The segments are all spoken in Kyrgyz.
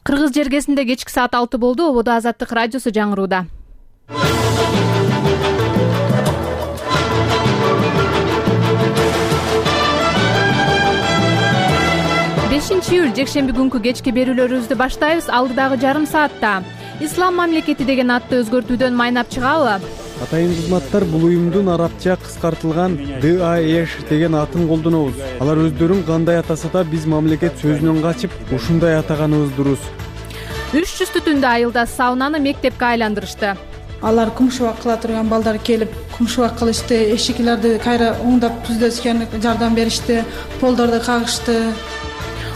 Кыргыз жергесинде кечки саат 6 болду. Ободо Азаттык радиосу жаңырууда. 5-июль жекшемби күнкү кечки берүүлөрүбүздү баштайбыз. Алдыдагы жарым саатта Ислам мамлекети деген атты өзгөртүүдөн майнап чыгабы? Атайын кызматтар бул уюмдун арабча кыскартылган ДАЭШ деген атын колдонобуз. Алар өздөрүн кандай атаса да биз мамлекет сөзүнөн качып ушундай атаганыбыз дурус. 300 түтүндө айылда саунаны мектепке айландырышты. Алар кумшубак кыла турган балдар келип кумшубак кылышты, эшиклерди кайра оңдоп түздөшкөн жардам беришти, полдорду кагышты.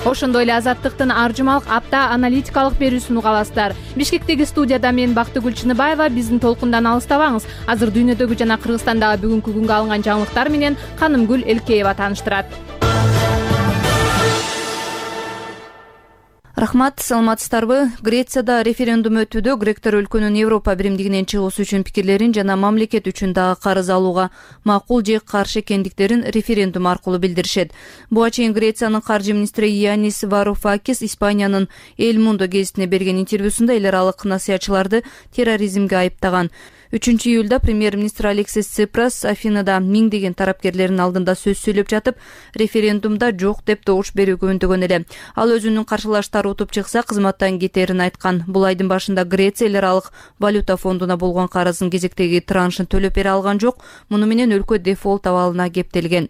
Ошондой эле Азаттыктын ар жумалык апта аналитикалык берүүсүн угабыздар. Бишкектеги студияда мен Бактыгүл Чыныбаева. Биздин толкундан алыстабаңыз. Азыр дүйнөдөгү жана Кыргызстандагы бүгүнкү күнгө алынган жаңылыктар менен Канымгүл Элкеева тааныштырат. Рахмат, саламатсыздарбы? Грецияда референдум өтүүдө гректер өлкөнүн Европа биримдигинен чыгуусу үчүн пикирлерин жана мамлекет үчүн дагы карыз алууга макул же каршы экендиктерин референдум аркылуу билдиришет. Буга чейин Грециянын каржы министри Янис Варуфакис Испаниянын Эл Мундо гезитине берген интервьюсунда эл аралык насыятчыларды терроризмге айыптаган. 3-июлда премьер-министр Алексис Ципрас Афинада миңдеген тарапкерлердин алдында сөз сүйлөп жатып, референдумда жок деп добуш берүүгө үндөгөн эле. Ал өзүнүн каршылаштары утуп чыкса, кызматтан кетерин айткан. Бул айдын башында Греция эл аралык валюта фондуна болгон карызын кезектеги траншын төлөп бере алган жок. Муну менен өлкө дефолт абалына кептелген.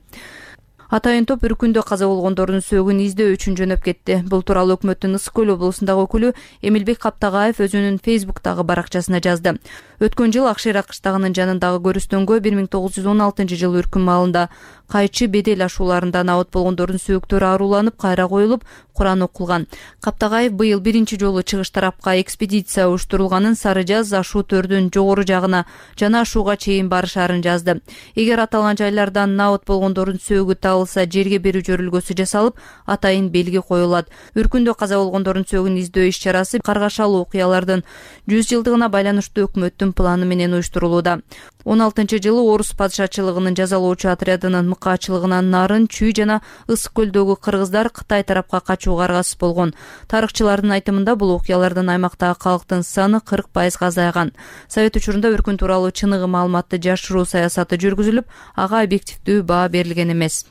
Атайын топ үркүндө каза болгондордун сөөгүн издөө үчүн жөнөп кетти. Бул тууралуу өкмөттүн Ысык көл облусундагы өкүлү Эмилбек Каптагаев өзүнүн Фейсбуктагы баракчасына жазды. Өткөн жыл Акшира кыштагынын жанындагы көрүстөнгө 1916 жылы үркүн маалында кайчы бедел ашууларында абат болгондордун сөөктөрү ааруланып кайра коюлуп, Куран окулган. Каптагаев быйыл биринчи жолу чыгыш тарапка экспедиция уюштурулганын, Сары Жаз ашуу төрдүн жогору жагына жана ашууга чейин барышаарын жазды. Эгер аталган жайлардан абат болгондордун сөөгү табылса, жерге берүү жөрүлгөсү жасалып, атайын белги коюлат. Үркүндө каза болгондордун сөөгүн издөө иш-чарасы каргашалуу окуялардын 100 жылдыгына байланыштуу өкмөттүн планы менен уюштурулууда. 16-жылы Орус падышачылыгынын жазалоочу отрядынын мыкаачылыгынан нарын, чүй жана Ысык көлдөгү кыргыздар Кытай тарапка качууга аргасыз болгон. Тарыхчылардын айтымында бул окуялардан аймактагы калктын саны 40% азайган. Совет учурунда үркүн тууралуу чыныгы маалыматты жашыруу саясаты жүргүзүлүп, ага объективдүү баа берилген эмес.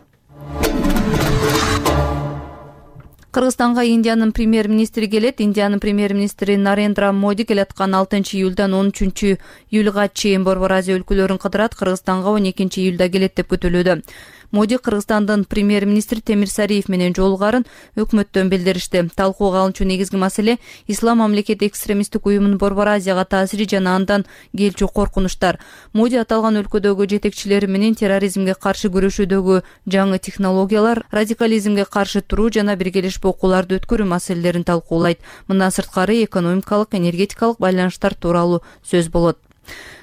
Кыргызстанга Индиянын премьер-министри келет. Индиянын премьер-министри Нарендра Моди келаткан 6-июлдан 13-июлга чейин Борбор Азия өлкөлөрүн кыдырат. Кыргызстанга 12-июлда келет деп күтүлүүдө. Моди Кыргызстандын премьер-министри Темирсариев менен жолугарын өкмөттөн билдиришти. Талкууга алынчу негизги маселе Ислам мамлекети экстремисттик уюмунун Борбор Азияга таасири жана андан келчү коркунучтар. Моди аталган өлкөдөгү жетекчилери менен терроризмге каршы күрөшүүдөгү жаңы технологиялар, радикализмге каршы туруу жана биргелешип окууларды өткөрүү маселелерин талкуулайт. Мындан сырткары экономикалык, энергетикалык байланыштар тууралуу сөз болот.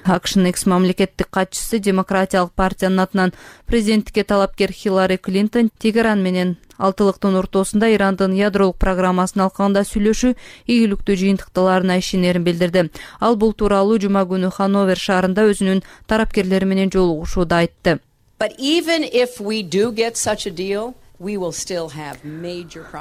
АКШнын экс-мамлекеттик катчысы Демократиялык партиянын атынан президенттикке талапкер Хиллари Клинтон Тегеран менен алтылыктын ортосунда Ирандын ядролук программасын алкагында сүйлөшүү ийгиликтүү жыйынтыкталарына ишенерин билдирди. Ал бул тууралуу жума күнү Хановер шаарында өзүнүн тарапкерлери менен жолугушууда айтты.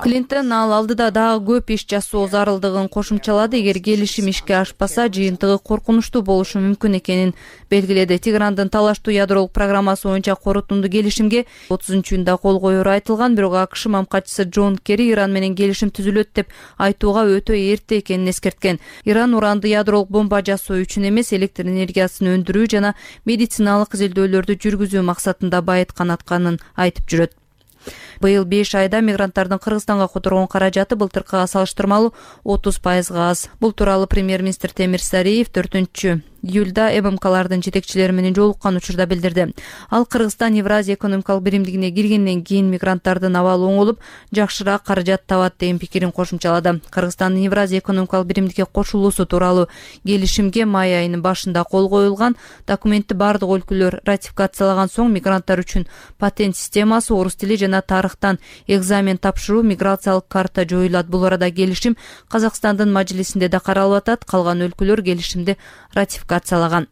Клинтон ал алдыда дагы көп иш жасоо зарылдыгын кошумчалады. Эгер келишим ишке ашпаса, жыйынтыгы коркунучтуу болушу мүмкүн экенин белгиледи. Тегерандын талаштуу ядролук программасы боюнча корутунду келишимге 30-июнда кол коюру айтылган, бирок АКШ мамкачысы Джон Керри Иран менен келишим түзүлөт деп айтууга өтө эрте экенин эскерткен. Иран уранды ядролук бомба жасоо үчүн эмес, электр энергиясын өндүрүү жана медициналык изилдөөлөрдү жүргүзүү максатында байыткан атканын айтып жүрөт. Быйыл 5 айда мигранттардын Кыргызстанга которгон каражаты былтыркыга салыштырмалуу 30% аз. Бул тууралуу премьер-министр Темирсариев 4-июлда ММКлардын жетекчилери менен жолуккан учурда билдирди. Ал Кыргызстан Евразия экономикалык биримдигине киргенден кийин мигранттардын абалы оңолуп, жакшыраак каражат табат деген пикирин кошумчалады. Кыргызстандын Евразия экономикалык биримдикке кошулуусу тууралуу келишимге май айынын башында кол коюлган. Документти бардык өлкөлөр ратификациялаган соң мигранттар үчүн патент системасы, орус тили жана тарыхтан экзамен тапшыруу, миграциялык карта жоюлат. Бул арада келишим Казакстандын мажлисинде да каралып атат. Калган өлкөлөр келишимди ратификациялаган.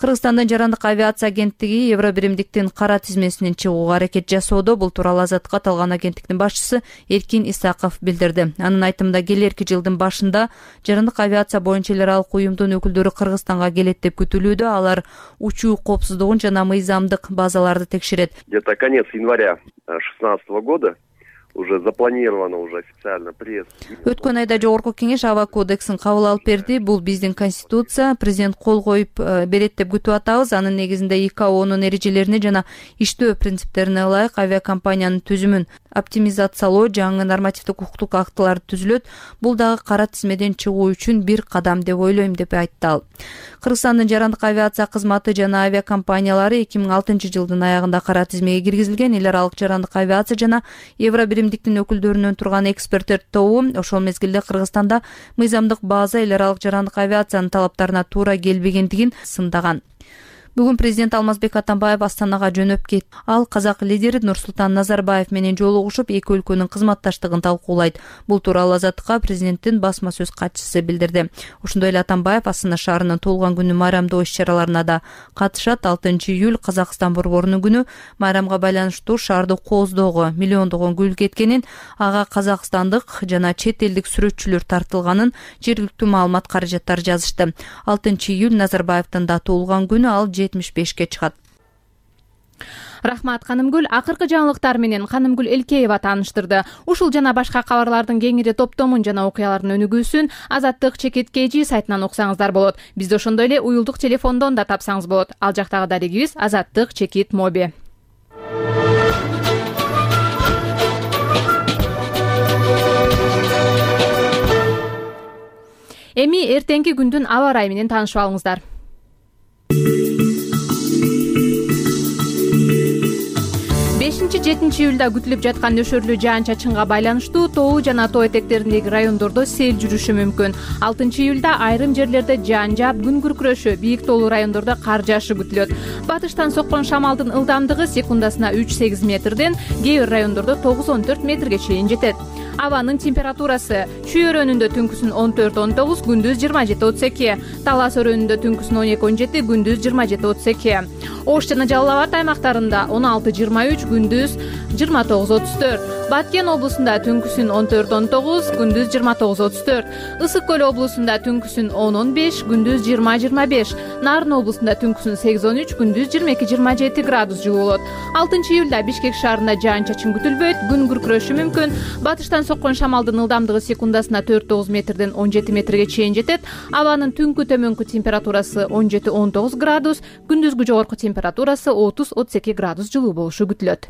Кыргызстандын жарандык авиация агенттиги Евробиримдиктин кара тизмесинен чыгууга аракет жасоодо. Бул тууралуу Азаттыкка аталган агенттиктин башчысы Эркин Исаков билдирди. Анын айтымында келерки жылдын башында жарандык авиация боюнча эл аралык уюмдун өкүлдөрү Кыргызстанга келет деп күтүлүүдө. Алар учуу коопсуздугун жана мыйзамдык базаларды текшерет. Где-то конец января 2016 года уже запланировано уже официально приезд. Өткөн айда Жогорку кеңеш аба кодексин кабыл алып берди. Бул биздин конституция, президент кол коюп берет деп күтүп атабыз. Анын негизинде ИКАОнун эрежелерине жана иштөө принциптерине ылайык авиакомпаниянын түзүмүн оптимизациялоо, жаңы нормативдик укуктук актылар түзүлөт. Бул дагы кара тизмеден чыгуу үчүн бир кадам деп ойлойм деп айтты ал. Кыргызстандын жарандык авиация кызматы жана авиакомпаниялары 2006 жылдын аягында кара тизмеге киргизилген. Эл аралык жарандык авиация жана Евробиримдиктин өкүлдөрүнөн турган эксперттер тобу ошол мезгилде Кыргызстанда мыйзамдык база эл аралык жарандык авиациянын талаптарына туура келбегендигин сындаган. Бүгүн президент Алмазбек Атамбаев Астанага жөнөп кетти. Ал казак лидери Нурсултан Назарбаев менен жолугушуп, эки өлкөнүн кызматташтыгын талкуулайт. Бул тууралуу Азаттыкка президенттин басма сөз катчысы билдирди. Ошондой эле Атамбаев Астана шаарынын туулган күнү майрамдоо иш-чараларына да катышат. 6 июль Казакстан борборунун күнү. Майрамга байланыштуу шаарды кооздоого миллиондогон гүл кеткенин, ага казакстандык жана чет элдик сүрөтчүлөр тартылганын жергиликтүү маалымат каражаттары жазышты. 6 июль Назарбаевдин да туулган күнү, ал 75-ке чыгат. Рахмат Канымгүл. Акыркы жаңылыктар менен Канымгүл Элкеева тааныштырды. Ушул жана башка кабарлардын кеңири топтомун жана окуялардын өнүгүүсүн Азаттык ЧКТ сайтынан уксаңыздар болот. Бизди ошондой эле уюлдук телефондон да тапсаңыз болот. Ал жактагы дарегибиз Азаттык ЧКТ моби. Эми эртеңки күндүн аба ырайы менен таанышып алыңыздар. 5-7 июлда күтүлүп жаткан нөшөрлүү жаан-чачынга байланыштуу тоо жана тоо этектериндеги райондордо сел жүрүшү мүмкүн. 6 июлда айрым жерлерде жаан жаап, күн күркүрөшү, бийик тоолуу райондордо кар жаашы күтүлөт. Батыштан соккон шамалдын ылдамдыгы секундасына 3-8 метрден, кээ бир райондордо 9-14 метрге чейин жетет. Абанын температурасы: Чүй өрөөнүндө түнкүсүн 14-19, күндүз 27-32, Талас өрөөнүндө түнкүсүн 12-17, күндүз 27-32. Ош жана Жалал Абад аймактарында 16-23, күндүз 29-34. Баткен облусунда түнкүсүн 14-19, күндүз 29-34. Ысык көл облусунда түнкүсүн 10-15, күндүз 20-25. Нарын облусунда түнкүсүн 8-13, күндүз 22-27 градус жылуу болот. 6 июлда Бишкек шаарында жаан-чачын күтүлбөйт, күн күркүрөшү мүмкүн. Батыштан соккон шамалдын ылдамдыгы секундасына 4-9 метрден 17 метрге чейин жетет. Абанын түнкү төмөнкү температурасы 17-19 градус, күндүзгү жогорку температурасы 30-32 градус жылуу болушу күтүлөт.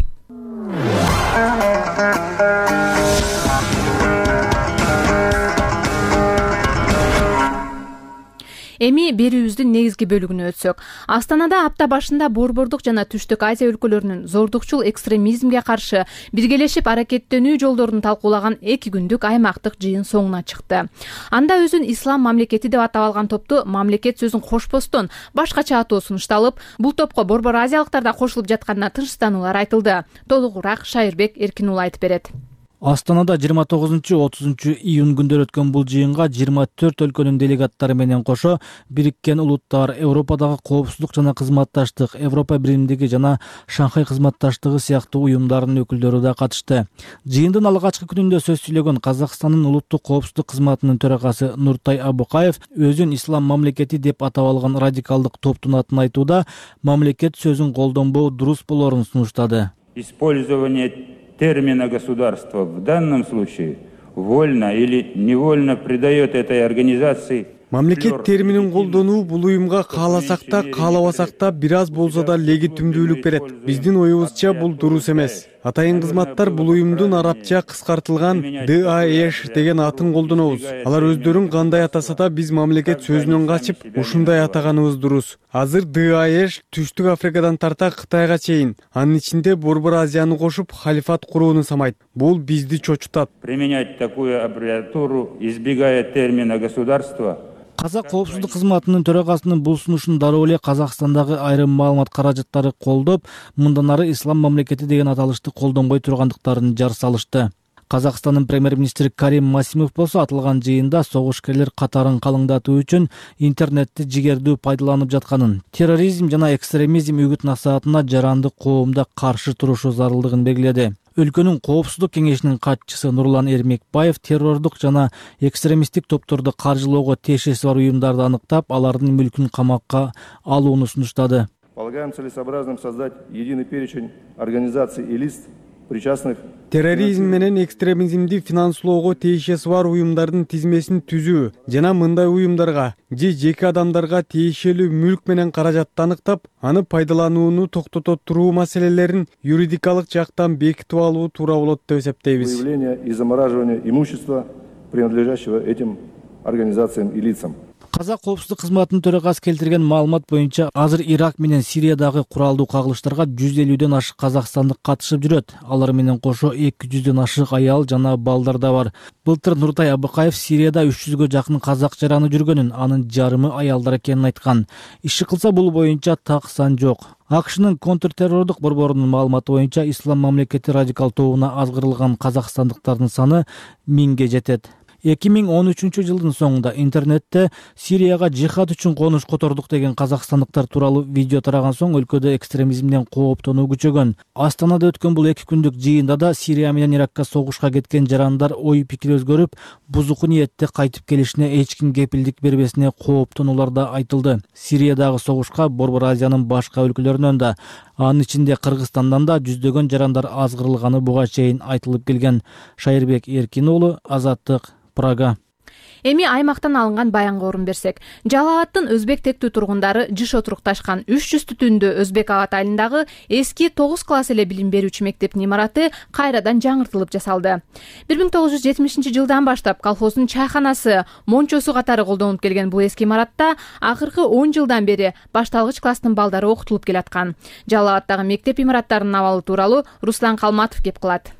Эми берүүбүздүн негизги бөлүгүнө өтсөк. Астанада апта башында Борбордук жана Түштүк Азия өлкөлөрүнүн зордукчул экстремизмге каршы биргелешип аракеттенүү жолдорун талкуулаган 2 күндүк аймактык жыйын соңуна чыкты. Анда өзүн ислам мамлекети деп атап алган топту мамлекет сөзүн кошпостон башкача атоо сунушталып, бул топко Борбор Азиялыктар да кошулуп жатканына тынчтануулар айтылды. Толугураак Шайырбек Эркинул айтып берет. Астанада 29-30 июнь күндөрү өткөн бул жыйынга 24 өлкөнүн делегаттары менен кошо Бириккен Улуттар, Европадагы коопсуздук жана кызматташтык, Европа биримдиги жана Шанхай кызматташтыгы сыяктуу уюмдардын өкүлдөрү да катышты. Жыйындын алгачкы күнүндө сөз сүйлөгөн Казакстандын улуттук коопсуздук кызматынын төрагасы Нуртай Абукаев өзүн ислам мамлекети деп атап алган радикалдык топтун атын айтууда мамлекет сөзүн колдонбоо дурус болорун сунуштады. Использование термина «государство» в данном случае вольно или невольно придает этой организации. Мамлекет терминин колдонуу бул уюмга кааласак да, каалабасак да бир аз болсо да легитимдүүлүк берет. Биздин оюбузча бул дурус эмес. Атайын кызматтар бул уюмдун арабча кыскартылган ДАЭШ деген атын колдонобуз. Алар өздөрүн кандай атаса да биз мамлекет сөзүнөн качып, ушундай атаганыбыз дурус. Азыр ДАЭШ Түштүк Африкадан тарта Кытайга чейин, анын ичинде Борбор Азияны кошуп халифат курууну самайт. Бул бизди чочутат. Применять такую аббревиатуру, избегая термина «государство». Казак коопсуздук кызматынын төрагасынын бул сунушун дароо эле Казакстандагы айрым маалымат каражаттары колдоп, мындан ары ислам мамлекети деген аталышты колдонбой тургандыктарын жар салышты. Казакстандын премьер-министри Карим Масимов болсо аталган жыйында согушкерлер катарын калыңдатуу үчүн интернетти жигердүү пайдаланып жатканын, терроризм жана экстремизм үгүт-насаатына жарандык коомдо каршы турушу зарылдыгын белгиледи. Өлкөнүн коопсуздук кеңешинин катчысы Нурлан Эрмекбаев террордук жана экстремисттик топторду каржылоого тиешеси бар уюмдарды аныктап, алардын мүлкүн камакка алууну сунуштады. Полагаем целесообразным создать единый перечень организаций и лиц, причастных терроризм менен экстремизмди финанслоого тиешеси бар уюмдардын тизмесин түзүү жана мындай уюмдарга же жеке адамдарга тиешелүү мүлк менен каражатты аныктап, аны пайдаланууну токтото туруу маселелерин юридикалык жактан бекитип алуу туура болот деп эсептейбиз. Выявление и замораживание имущества, принадлежащего этим организациям и лицам. Казак коопсуздук кызматынын төрагасы келтирген маалымат боюнча азыр Ирак менен Сириядагы куралдуу кагылыштарга 150ден ашык казакстандык катышып жүрөт. Алар менен кошо 200ден ашык аял жана балдар да бар. Былтыр Нуртай Абыкаев Сирияда 300гө жакын казак жараны жүргөнүн, анын жарымы аялдар экенин айткан. Иши кылса бул боюнча так сан жок. АКШнын контртеррордук борборунун маалыматы боюнча Ислам мамлекети радикал тобуна азгырылган казакстандыктардын саны 1000ге жетет. 2013 жылдын соңунда интернетте Сирияга жихад үчүн конуш котордук деген казакстандыктар тууралуу видео тараган соң өлкөдө экстремизмден кооптонуу күчөгөн. Астанада өткөн бул 2 күндүк жыйында да Сирия менен Иракка согушка кеткен жарандар ой пикир өзгөрүп, бузуку ниетте кайтып келишине эч ким кепилдик бербесине кооптонулар да айтылды. Сириядагы согушка Борбор Азиянын башка өлкөлөрүнөн да, анын ичинде Кыргызстандан да жүздөгөн жарандар азгырылганы буга чейин айтылып келген. Шайырбек Эркин уулу, Азаттык, Прага. Эми аймактан алынган баянга орун берсек, Жалал Абадтын өзбек тектүү тургундары жыш отурукташкан 300 түтүндүү Өзбек Абад айылындагы эски 9 класс эле билим берүүчү мектептин имараты кайрадан жаңыртылып жасалды. 1970 жылдан баштап колхоздун чайханасы, мончосу катары колдонуп келген бул эски имаратта акыркы 10 жылдан бери башталгыч класстын балдары окутулуп келаткан. Жалал Абадтагы мектеп имараттарынын абалы тууралуу Руслан Калматов кеп кылат.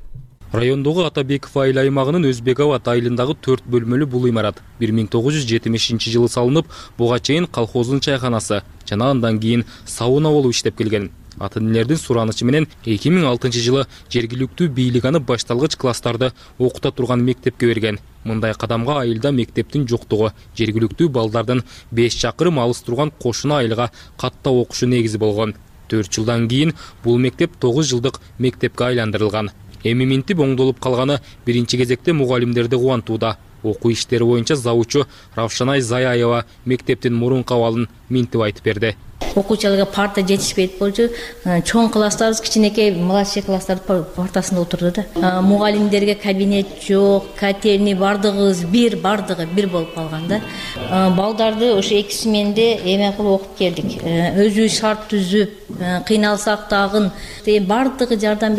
Райондогу Атабеков айыл аймагынын Өзбек Абад айылындагы 4 бөлмөлүү бул имарат 1970 жылы салынып, буга чейин колхоздун чайханасы жана андан кийин сауна болуп иштеп келген. Ата-энелердин суранычы менен 2006 жылы жергиликтүү бийлик аны башталгыч класстарды окута турган мектепке берген. Мындай кадамга айылда мектептин жоктугу, жергиликтүү балдардын 5 чакырым алыс турган кошуна айылга катта окушу негизи болгон. 4 жылдан кийин бул мектеп 9 жылдык мектепке айландырылган. Эми минтип оңдолуп калганы биринчи кезекте мугалимдерди кубантууда. Окуу иштери боюнча завучу Равшанай Заяева мектептин мурунку абалын минтип айтып берди. Окуучуларга парта жетишпейт болчу. Чоң класстарыбыз кичинекей младший класстардын партасында отурду да. Мугалимдерге кабинет жок, котельный бардыгыбыз бир болуп калган да. Балдарды ошо 2 сменде эме кылып окуп келдик. Өзүбүз шарт түзүп, кыйналсак дагы бардыгы жардам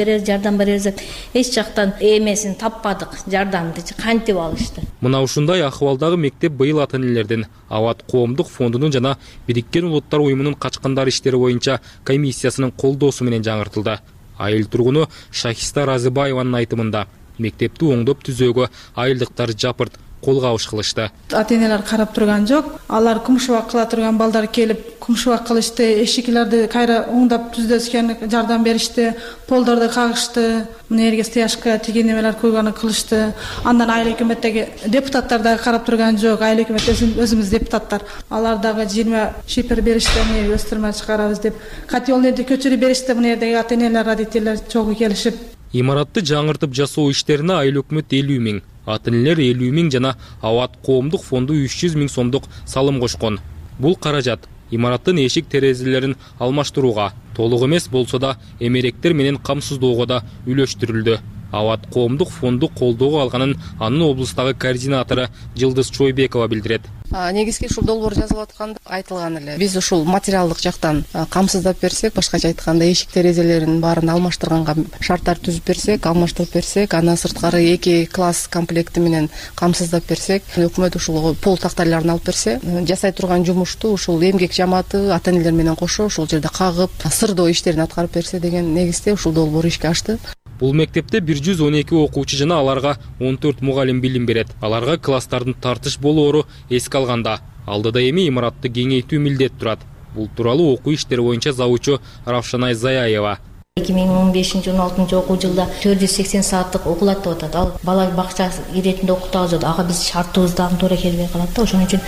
беребиз. Эч жактан эмесин таппадык, жардамды кантип алышты. Мына ушундай акыбалдагы мектеп быйыл ата-энелердин Абад коомдук фондунун жана Бириккен Улуттар уюмунун качкындар иштери боюнча комиссиясынын колдоосу менен жаңыртылды. Айыл тургуну Шахиста Разыбаеванын айтымында мектепти оңдоп түзөөгө айылдыктар жапырт кол кабыш кылышты. Ата-энелер карап турган жок. Алар кумшубак кыла турган балдар келип кумшубак кылышты, эшиклерди кайра оңдоп түздөшкөн жардам беришти, полдорду кагышты, мына стяжка тиген немелер койгону кылышты. Андан айыл өкмөттөгү депутаттар да карап турган жок. Айыл өкмөт өзүбүз депутаттар. Алар дагы 20 шипер беришти, мына өстүрмө чыгарабыз деп. Котелныйды көчүрүп беришти, мына жердеги ата-энелер, родителер чогуу келишип. Имаратты жаңыртып жасоо иштерине айыл өкмөт 50 000, ата-энелер 50 000 жана Абад коомдук фонду 300 000 сомдук салым кошкон. Бул каражат имараттын эшик терезелерин алмаштырууга, толук эмес болсо да эмеректер менен камсыздоого да үлөштүрүлдү. Абад коомдук фонду колдоого алганын анын облустагы координатору Жылдыз Чойбекова билдирет. Негизги ушул долбоор жазылып атканда айтылган эле. Биз ушул материалдык жактан камсыздап берсек, башкача айтканда эшик терезелерин баарын алмаштырганга шарттар түзүп берсек, алмаштырып берсек, андан сырткары 2 класс комплекти менен камсыздап берсек, өкмөт ушул пол тактайларын алып берсе, жасай турган жумушту ушул эмгек жамааты ата-энелер менен кошо ушул жерде кагып, сырдоо иштерин аткарып берсе деген негизде ушул долбоор ишке ашты. Бул мектепте 112 окуучу жана аларга 14 мугалим билим берет. Аларга класстардын тартыш болоору эске алганда, алдыда эми имаратты кеңейтүү милдет турат. Бул тууралуу окуу иштери боюнча завучу Равшанай Заяева 2015-16 окуу жылда 480 сааттык окулат деп атат. Ал бала бакча иретинде окутабыз деп, ага биз шартыбыздан туура келбей калат да. Ошон үчүн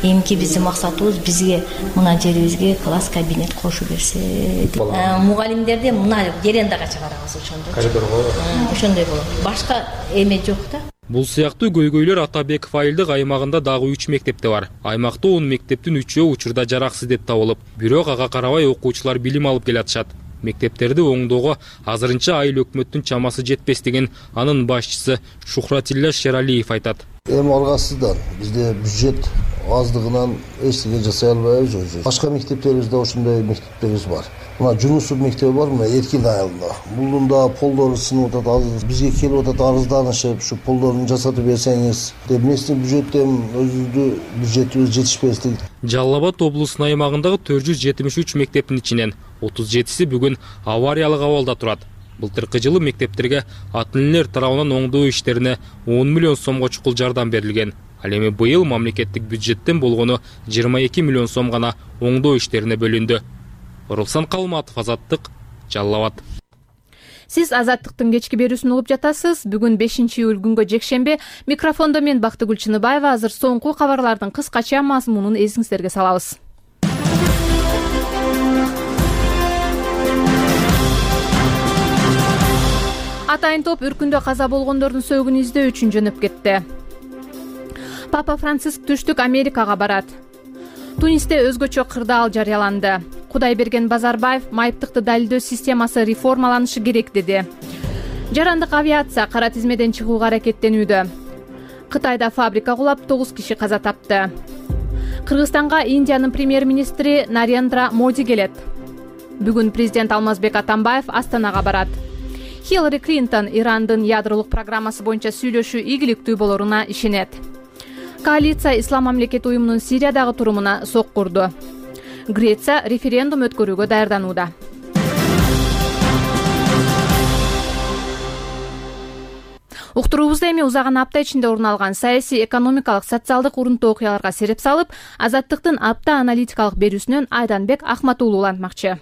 эмки биздин максатыбыз бизге мына жерибизге класс кабинет кошуп берсе. Мугалимдерди мына верандага чыгарабыз ошондой. Коридорго. Ошондой болот. Башка эме жок да. Бул сыяктуу көйгөйлөр Атабеков айылдык аймагында дагы 3 мектепте бар. Аймакта 10 мектептин 3-өө учурда жараксыз деп табылып, бирок ага карабай окуучулар билим алып келатышат. Мектептерди оңдоого азырынча айыл өкмөттүн чамасы жетпестигин анын башчысы Шухратилла Шералиев айтат. Эми аргасыздан бизде бюджет аздыгынан эч нерсе жасай албайбыз. Башка мектептерибизде ошондой мектептерибиз бар. Мына Жунусов мектеби бар, мына Эркин айылында. Булдун да полдору сынып атат, азыр бизге келип атат арызданышып, ушу полдорун жасатып берсеңиз деп. Местный бюджеттен өзүбүздүн бюджетибиз жетишпестик. Жалал Абад облусунун аймагындагы 473 мектептин ичинен 37си бүгүн авариялык абалда турат. Былтыркы жылы мектептерге ата-энелер тарабынан оңдоо иштерине 10 миллион сомго чукул жардам берилген. Ал эми быйыл мамлекеттик бюджеттен болгону 22 миллион сом гана оңдоо иштерине бөлүндү. Руслан Калматов, Азаттык, Жалал Абад. Сиз Азаттыктын кечки берүүсүн угуп жатасыз. Бүгүн 5-июль күнгө жекшемби. Микрофондо мен Бактыгүл Чыныбаева. Азыр соңку кабарлардын кыскача мазмунун эсиңиздерге салабыз. Атайын топ үркүндө каза болгондордун сөөгүн издөө үчүн жөнөп кетти. Папа Франциск түштүк Америкага барат. Тунисте өзгөчө кырдаал жарыяланды. Кудайберген Базарбаев майыптыкты далилдөө системасы реформаланышы керек деди. Жарандык авиация кара тизмеден чыгууга аракеттенүүдө. Кытайда фабрика кулап 9 киши каза тапты. Кыргызстанга Индиянын премьер-министри Нарендра Моди келет. Бүгүн президент Алмазбек Атамбаев Астанага барат. Хиллари Клинтон Ирандын ядролук программасы боюнча сүйлөшүү ийгиликтүү болоруна ишенет. Коалиция Ислам мамлекети уюмунун Сириядагы турумуна соккурду. Греция референдум өткөрүүгө даярданууда. Уктуруубузда эми узаган апта ичинде орун алган саясий, экономикалык, социалдык урунтуу окуяларга сереп салып, Азаттыктын апта аналитикалык берүүсүнөн Айданбек Ахматуулу улантмакчы.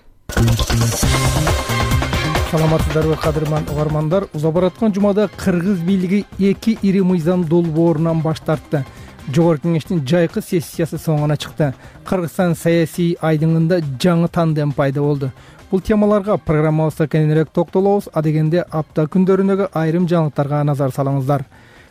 Саламатсыздарбы кадырман угармандар. Уза бараткан жумада Кыргыз бийлиги 2 ири мыйзам долбоорунан баш тартты. Жогорку кеңештин жайкы сессиясы соңуна чыкты. Кыргызстан саясий айдыңында жаңы тандем пайда болду. Бул темаларга программабызда кененирээк токтолобуз. Адегенде апта күндөрүндөгү айрым жаңылыктарга назар салыңыздар.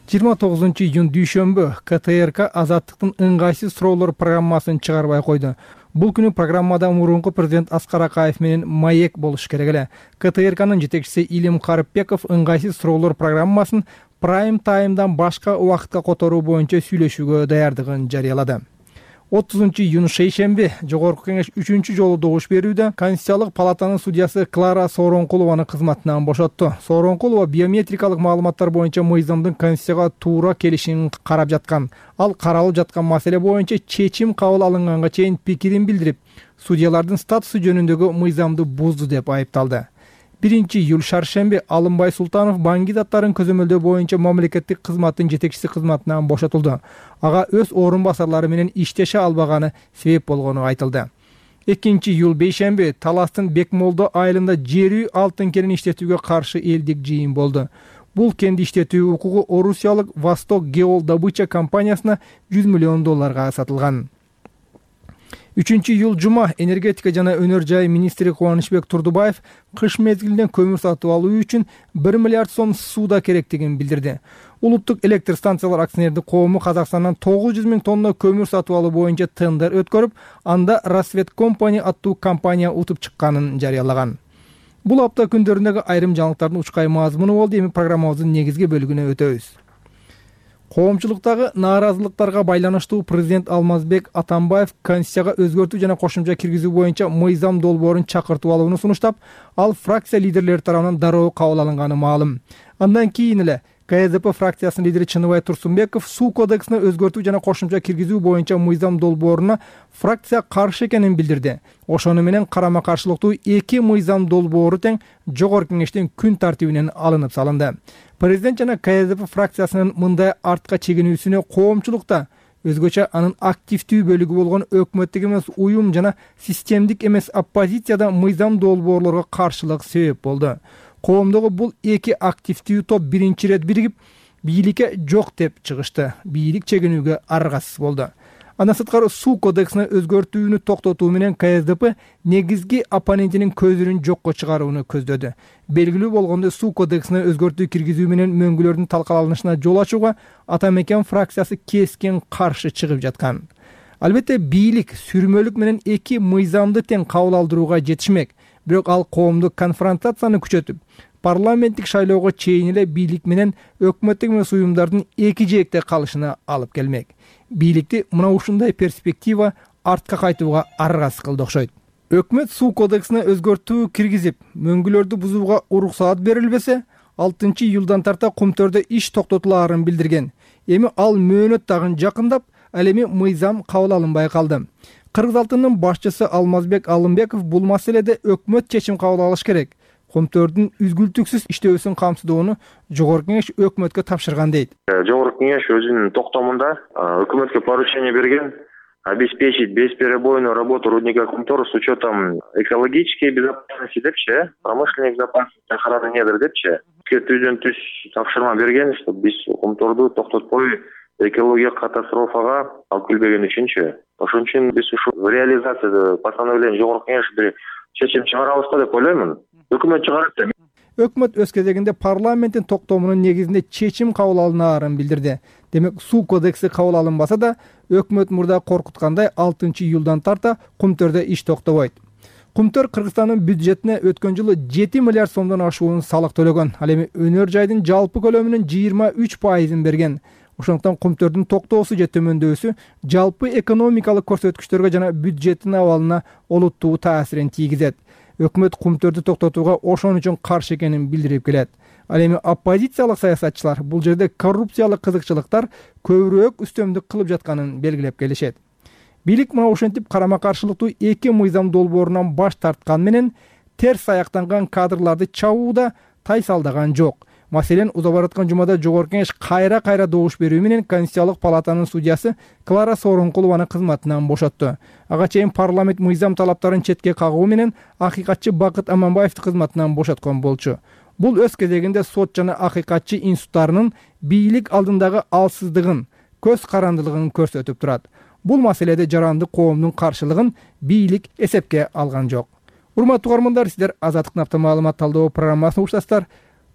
29-июнь дүйшөмбү КТРК Азаттыктын ыңгайсыз суроолор программасын чыгарбай койду. Бул күнү программада мурунку президент Аскар Акаев менен маек болуш керек эле. КТРКнын жетекчиси Илим Карыпбеков ыңгайсыз суроолор программасын прайм таймдан башка убакытка которуу боюнча сүйлөшүүгө даярдыгын жарыялады. 30-июнь шейшемби Жогорку кеңеш 3-чү жолу добуш берүүдө Конституциялык палатанын судьясы Клара Сооронкулованы кызматынан бошотту. Сооронкулова биометрикалык маалыматтар боюнча мыйзамдын Конституцияга туура келишин карап жаткан. Ал каралып жаткан маселе боюнча чечим кабыл алынганга чейин пикирин билдирип, судьялардын статусу жөнүндөгү мыйзамды бузду деп айыпталды. 1-июль шаршемби Алымбай Султанов банки заттарын көзөмөлдөө боюнча мамлекеттик кызматтын жетекчиси кызматынан бошотулду. Ага өз орун басарлары менен иштеше албаганы себеп болгону айтылды. 2-июль бейшемби Таластын Бекмолдо айылында жер үй алтын кенин иштетүүгө каршы элдик жыйын болду. Бул кенди иштетүү укугу орусиялык Восток Геол Добыча компаниясына $100 миллион сатылган. 3-июль жума энергетика жана өнөр жай министри Кубанычбек Турдубаев кыш мезгилинен көмүр сатып алуу үчүн 1 миллиард сом сууда керектигин билдирди. Улуттук электр станциялар акционердик коому Казакстандан 900 000 тонна көмүр сатып алуу боюнча тендер өткөрүп, анда Рассвет Компани аттуу компания утуп чыкканын жарыялаган. Бул апта күндөрүндөгү айрым жаңылыктардын учкай мазмуну болду. Эми программабыздын негизги бөлүгүнө өтөбүз. Коомчулуктагы нааразылыктарга байланыштуу президент Алмазбек Атамбаев Конституцияга өзгөртүү жана кошумча киргизүү боюнча мыйзам долбоорун чакыртып алууну сунуштап, ал фракция лидерлери тарабынан дароо кабыл алынганы маалым. Андан кийин эле КСДП фракциясынын лидери Чыныбай Турсунбеков суу кодексине өзгөртүү жана кошумча киргизүү боюнча мыйзам долбооруна фракция каршы экенин билдирди. Ошону менен карама-каршылыктуу 2 мыйзам долбоору тең жогорку кеңештин күн тартибинен алынып салынды. Президент жана КСДП фракциясынын мындай артка чегинүүсүнө коомчулукта өзгөчө анын активдүү бөлүгү болгон өкмөттүк эмес уюм жана системдик эмес оппозицияда мыйзам долбоорлорго каршылык себеп болду. Коомдогу бул эки активдүү топ биринчи ирет биригип бийликке жок деп чыгышты. Бийлик чегинүүгө аргасыз болду. Андан сырткары суу кодексине өзгөртүүнү токтотуу менен КСДП негизги оппонентинин көзүрүн жокко чыгарууну көздөдү. Белгилүү болгондой, суу кодексине өзгөртүү киргизүү менен мөңгүлөрдүн талкаланышына жол ачууга Ата Мекен фракциясы кескен каршы чыгып жаткан. Албетте бийлик сүрмөлүк менен эки мыйзамды тең кабыл алдырууга жетишмек, бирок ал коомдук конфронтацияны күчөтүп, парламенттик шайлоого чейин эле бийлик менен өкмөттүк эмес уюмдардын эки жээкте калышына алып келмек. Бийликти мына ушундай перспектива артка кайтууга аргасыз кылды окшойт. Өкмөт суу кодексине өзгөртүү киргизип, мөңгүлөрдү бузууга уруксаат берилбесе, 6-июлдан тарта Кумтөрдө иш токтотулаарын билдирген. Эми ал мөөнөт дагы жакындап, ал эми мыйзам кабыл алынбай калды. Кыргыз алтынынын башчысы Алмазбек Алымбеков бул маселеде өкмөт чечим кабыл алыш керек. Кумтөрдүн үзгүлтүксүз иштөөсүн камсыздоону Жогорку Кеңеш өкмөткө тапшырган дейт. Жогорку Кеңеш өзүнүн токтомунда өкмөткө поручение берген обеспечить бесперебойную работу рудника Кумтор с учетом экологической безопасности депчи, промышленной безопасности охраны недр депчи. Түздөн түз тапшырма берген, чтобы биз Кумторду токтотпой экологиялык катастрофага алып келбеген үчүнчү. Ошон үчүн биз ушул реализация постановление Жогорку Кеңеш бир чечим чыгарабыз деп ойлоймун. Өкмөт чыгарат да. Өкмөт өз кезегинде парламенттин токтомунун негизинде чечим кабыл алынаарын билдирди. Демек, суу кодекси кабыл алынбаса да, өкмөт мурда коркуткандай 6-июлдан тарта Кумтөрдө иш токтобойт. Кумтөр Кыргызстандын бюджетине өткөн жылы 7 миллиард сомдон ашуун салык төлөгөн. Ал эми өнөр жайдын жалпы көлөмүнүн 23% берген. Ошондуктан Кумтөрдүн токтоосу же төмөндөсү жалпы экономикалык көрсөткүчтөргө жана бюджеттин абалына олуттуу таасирин тийгизет. Өкмөт Кумтөрдү токтотууга ошон үчүн каршы экенин билдирип келет. Ал эми оппозициялык саясатчылар бул жерде коррупциялык кызыкчылыктар көбүрөөк үстөмдүк кылып жатканын белгилеп келишет. Бийлик мына ошентип карама каршылыктуу эки мыйзам долбоорунан баш тарткан менен терс аяктанган кадрларды чабууда тайсалдаган жок. Маселен, уза бараткан жумада Жогорку Кеңеш кайра добуш берүү менен Конституциялык палатанын судьясы Клара Сооронкулованы кызматынан бошотту. Ага чейин парламент мыйзам талаптарын четке кагуу менен акыйкатчы Бакыт Аманбаевди кызматынан бошоткон болчу. Бул өз кезегинде сот жана акыйкатчы институттарынын бийлик алдындагы алсыздыгын, көз карандылыгын көрсөтүп турат. Бул маселеде жарандык коомдун каршылыгын бийлик эсепке алган жок. Урматтуу угармандар, сиздер Азаттык Напта маалымат талдоо программасын уктасыздар.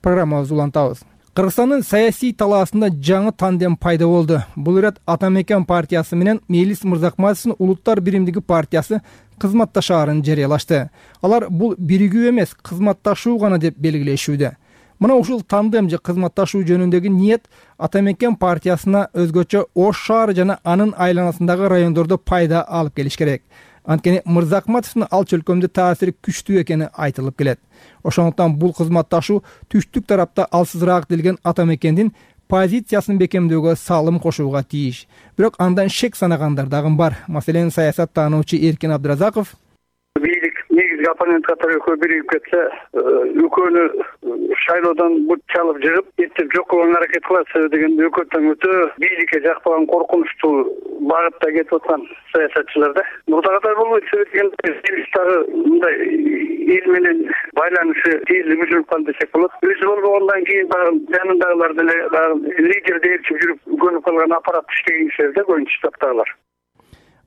Программабызды улантабыз. Кыргызстандын саясий талаасында жаңы тандем пайда болду. Бул ирет Ата Мекен партиясы менен Мелис Мырзакматовдун Улуттар биримдиги партиясы кызматташаарын жарыялашты. Алар бул биригүү эмес, кызматташуу гана деп белгилешүүдө. Мына ушул тандем же кызматташуу жөнүндөгү ниет Ата Мекен партиясына өзгөчө Ош шаары жана анын айланасындагы райондордо пайда алып келиш керек. Анткени Мырзакматовдун ал чөлкөмдө таасири күчтүү экени айтылып келет. Ошондуктан бул кызматташуу түштүк тарапта алсызыраак делген Ата Мекендин позициясын бекемдөөгө салым кошууга тийиш. Бирок андан шек санагандар дагы бар. Маселен, саясат таануучу Эркин Абдыразаков бийлик негизги оппонент катары экөө биригип кетсе, экөөнү шайлоодон бут чалып жыгып, эптеп жок кылган аракет кылат деген өкөттөн өтө бийликке жакпаган коркунучтуу багытта кетип аткан саясатчылар да. Мурда катар болбойт, себеби дагы мындай эл менен байланышы тезирээк үзүлүп калды десек болот. Өзү болбогондон кийин жанындагылар деле лидерди ээрчип жүрүп көнүп калган аппарат иштеген кишилер да көбүнчө таптагылар.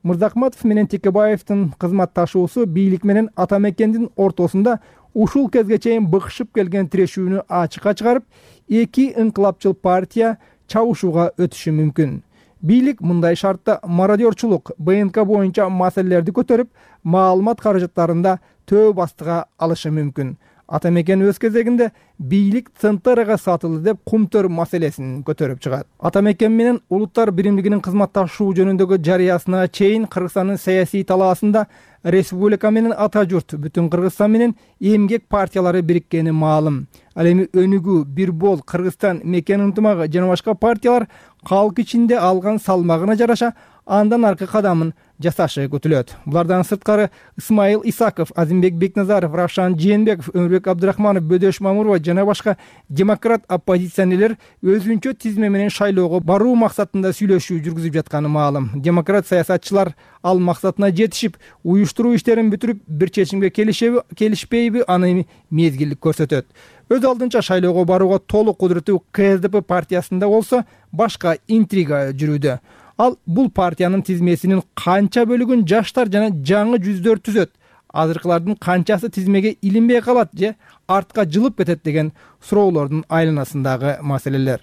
Мырзакматов менен Текебаевдин кызматташуусу бийлик менен Ата Мекендин ортосунда ушул кезге чейин быкшып келген тирешүүнү ачыкка чыгарып, эки инкылапчыл партия чабышууга өтүшү мүмкүн. Бийлик мындай шартта мародерчулук, БНК боюнча маселелерди көтөрүп, маалымат каражаттарында төө бастыга алышы мүмкүн. Ата Мекен өз кезегинде бийлик ЦНТРга сатылды деп Кумтөр маселесин көтөрүп чыгат. Ата Мекен менен Улуттар биримдигинин кызматташуу жөнүндөгү жарыясына чейин Кыргызстандын саясий талаасында республика менен ата журт, бүтүн Кыргызстан менен эмгек партиялары бириккени маалым. Ал эми Өнүгүү, Бир Бол, Кыргызстан, Мекен ынтымагы жана башка партиялар калк ичинде алган салмагына жараша андан аркы кадамын жасашы күтүлөт. Булардан сырткары Исмаил Исаков, Азимбек Бекназаров, Равшан Жээнбеков, Өмүрбек Абдырахманов, Бөдөш Мамурова жана башка демократ оппозиционерлер өзүнчө тизме менен шайлоого баруу максатында сүйлөшүү жүргүзүп жатканы маалым. Демократ саясатчылар ал максатына жетишип, уюштуруу иштерин бүтүрүп, бир чечимге келишпейби, аны мезгилдик көрсөтөт. Өз алдынча шайлоого барууга толук кудуреттүү КСДП партиясында болсо башка интрига жүрүүдө. Ал бул партиянын тизмесинин канча бөлүгүн жаштар жана жаңы жүздөр түзөт, азыркылардын канчасы тизмеге илинбей калат же артка жылып кетет деген суроолордун айланасындагы маселелер.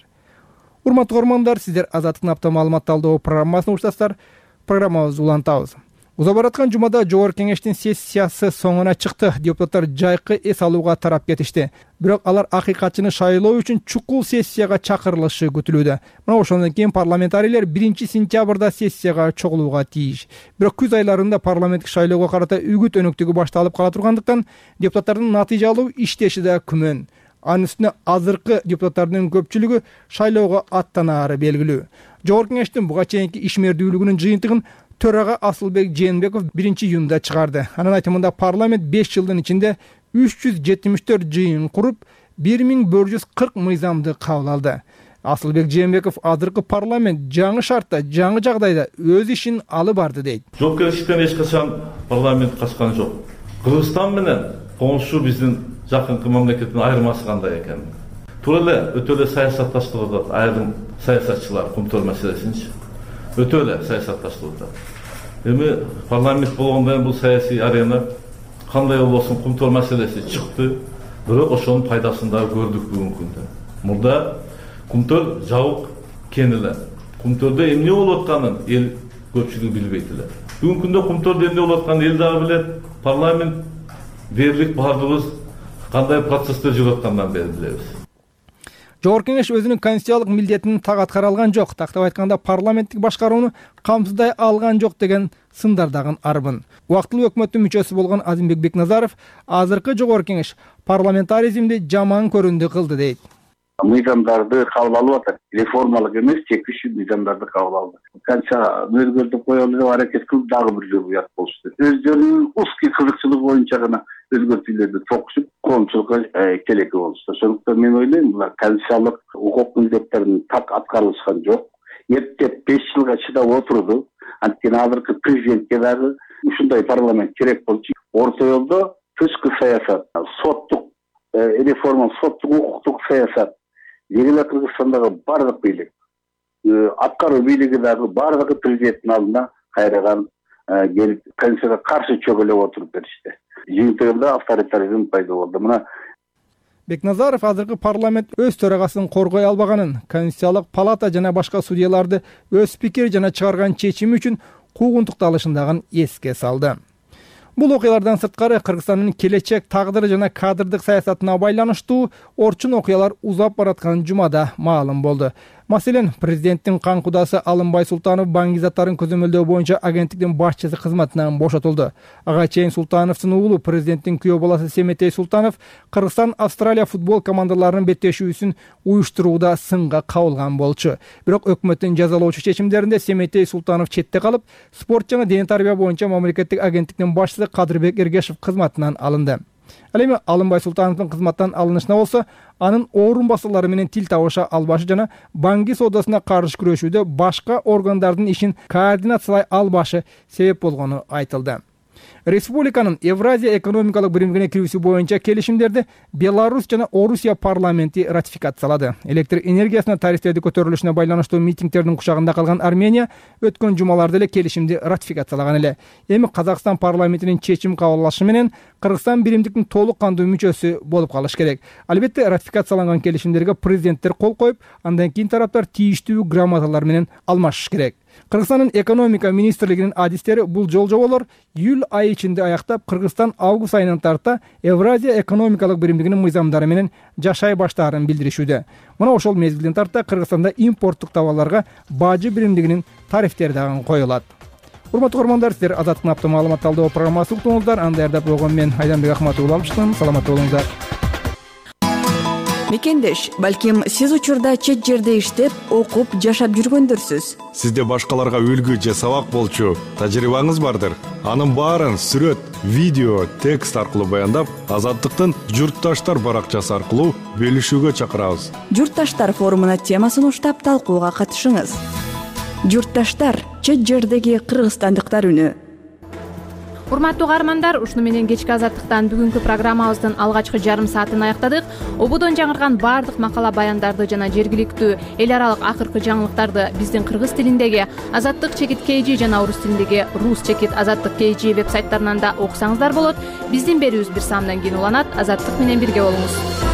Урматтуу көрөрмандар, сиздер Азаттыктын апта маалымат талдоо программасын уктасыздар. Программабызды улантабыз. Уза бараткан жумада Жогорку кеңештин сессиясы соңуна чыкты. Депутаттар жайкы эс алууга тарап кетишти. Бирок алар акыйкатчыны шайлоо үчүн чукул сессияга чакырылышы күтүлүүдө. Мына ошондон кийин парламентарийлер 1-сентябрда сессияга чогулууга тийиш. Бирок күз айларында парламенттик шайлоого карата үгүт өнөктүгү башталып кала тургандыктан депутаттардын натыйжалуу иштеши да күмөн. Анын үстүнө азыркы депутаттардын көпчүлүгү шайлоого аттанаары белгилүү. Жогорку кеңештин буга чейинки ишмердүүлүгүнүн жыйынтыгын төрага Асылбек Жээнбеков 1-июнда чыгарды. Анын айтымында парламент 5 жылдын ичинде 374 жыйын куруп, 1140 мыйзамды кабыл алды. Асылбек Жээнбеков азыркы парламент жаңы шартта, жаңы жагдайда өз ишин алып барды дейт. Жок келишиптен эч качан парламент качкан жок. Кыргызстан менен коңшу биздин жакынкы мамлекеттин айырмасы кандай экен? Туура эле өтө эле саясатташтырып атат айрым саясатчылар кумтөр маселесинчи. Өтө эле саясатташтырып атат. Эми парламент болгондон кийин бул саясий арена кандай болбосун кумтөр маселеси чыкты, бирок ошонун пайдасын да көрдүк бүгүнкү күндө. Мурда кумтөр жабык кен эле. Кумтөрдө эмне болуп атканын эл көпчүлүгү билбейт эле. Бүгүнкү күндө кумтөрдө эмне болуп атканын эл дагы билет. Парламент дээрлик баардыгыбыз кандай процесстер жүрүп аткандан бери билебиз. Жогорку кеңеш өзүнүн конституциялык милдетин так аткара алган жок. Тактап айтканда парламенттик башкарууну камсыздай алган жок деген сындардагы арбын. Убактылуу өкмөттүн мүчөсү болгон Азимбек Бекназаров азыркы жогорку кеңеш парламентаризмди жаман көрүндү кылды дейт. Мыйзамдарды кабыл алып атат. Реформалык эмес, чекишүү мыйзамдарды кабыл алды. Канча өзгөртүп коелу деп аракет кылып, дагы бир жолу уят болушту. Өздөрүнүн узкий кызыкчылыгы боюнча гана өзгөртүүлөрдү токушуп, коомчулукка келеки болушту. Ошондуктан мен ойлойм, булар конституциялык укук милдеттерин так аткарылышкан жок. Эптеп 5 жылга чыдап отурду. Анткени азыркы президентке дагы ушундай парламент керек болчу. Орто жолдо тышкы саясат, соттук реформа, соттук укуктук саясат, Егеле Кыргызстандагы бардык бийлик, аткаруу бийлиги дагы бардыгы президенттин алдына кайрадан келип, конституцияга каршы чөгөлөп отуруп беришти. Жыйынтыгында авторитаризм пайда болду. Мына Бекназаров азыркы парламент өз төрагасын коргой албаганын, Конституциялык палата жана башка судьяларды өз пикир жана чыгарган чечими үчүн куугунтукталышындагын эске салды. Бул окуялардан сырткары Кыргызстандын келечек тагдыры жана кадрдык саясатына байланыштуу орчун окуялар узап бараткан жумада маалым болду. Маселен, президенттин кан кудасы Алымбай Султанов банк заттарын көзөмөлдөө боюнча агенттиктин башчысы кызматынан бошотулду. Ага чейин Султановдун уулу президенттин күйөө баласы Семетей Султанов Кыргызстан Австралия футбол командаларынын беттешүүсүн уюштурууда сынга кабылган болчу. Бирок өкмөттүн жазалоочу чечимдеринде Семетей Султанов четте калып, спорт жана дене тарбия боюнча мамлекеттик агенттиктин башчысы Кадырбек Эргешев кызматынан алынды. Ал эми Алымбай Султановдун кызматтан алынышына болсо, анын орун басуулары менен тил табыша албашы жана банки соодасына каршы күрөшүүдө башка органдардын ишин координациялай албашы себеп болгону айтылды. Республиканын Евразия экономикалык биримдигине кирүүсү боюнча келишимдерди Беларусь жана Орусия парламенти ратификациялады. Электр энергиясына тарифтерди көтөрүлүшүнө байланыштуу митингтердин кучагында калган Армения өткөн жумаларда эле келишимди ратификациялаган эле. Эми Казакстан парламентинин чечим кабыл алышы менен Кыргызстан биримдиктин толук кандуу мүчөсү болуп калышы керек. Албетте ратификацияланган келишимдерге президенттер кол коюп, андан кийин тараптар тийиштүү грамоталар менен алмашышы керек. Кыргызстандын экономика министрлигинин адистери бул жолжоболор июль айы ичинде аяктап, Кыргызстан август айынан тарта Евразия экономикалык биримдигинин мыйзамдары менен жашай баштаарын билдиришүүдө. Мына ошол мезгилден тарта Кыргызстанда импорттук товарларга бажы биримдигинин тарифтери дагы коюлат. Урматтуу көрөрмандар, сиздер Азаттыктын апта маалымат талдоо программасын уктуңуздар. Аны даярдап койгон мен Айданбек Ахматов алыштым. Саламатта болуңуздар. Мекендеш, балким сиз учурда чет жерде иштеп, окуп, жашап жүргөндөрсүз. Сизде башкаларга үлгү же сабак болчу тажрыйбаңыз бардыр. Анын баарын сүрөт, видео, текст аркылуу баяндап, Азаттыктын Журтташтар баракчасы аркылуу бөлүшүүгө чакырабыз. Журтташтар форумуна темасын уштап талкууга катышыңыз. Журтташтар, чет жердеги кыргызстандыктар үнү. Урматтуу каармандар, ушуну менен кечки Азаттыктан бүгүнкү программабыздын алгачкы жарым саатын аяктадык. Ободон жаңырган баардык макала баяндарды жана жергиликтүү эл аралык акыркы жаңылыктарды биздин кыргыз тилиндеги Azatlyk-KG жана орус тилиндеги Rus-Azatlyk-KG веб сайттарынан да окусаңыздар болот. Биздин берүүбүз бир саамдан кийин уланат. Азаттык менен бирге болуңуз.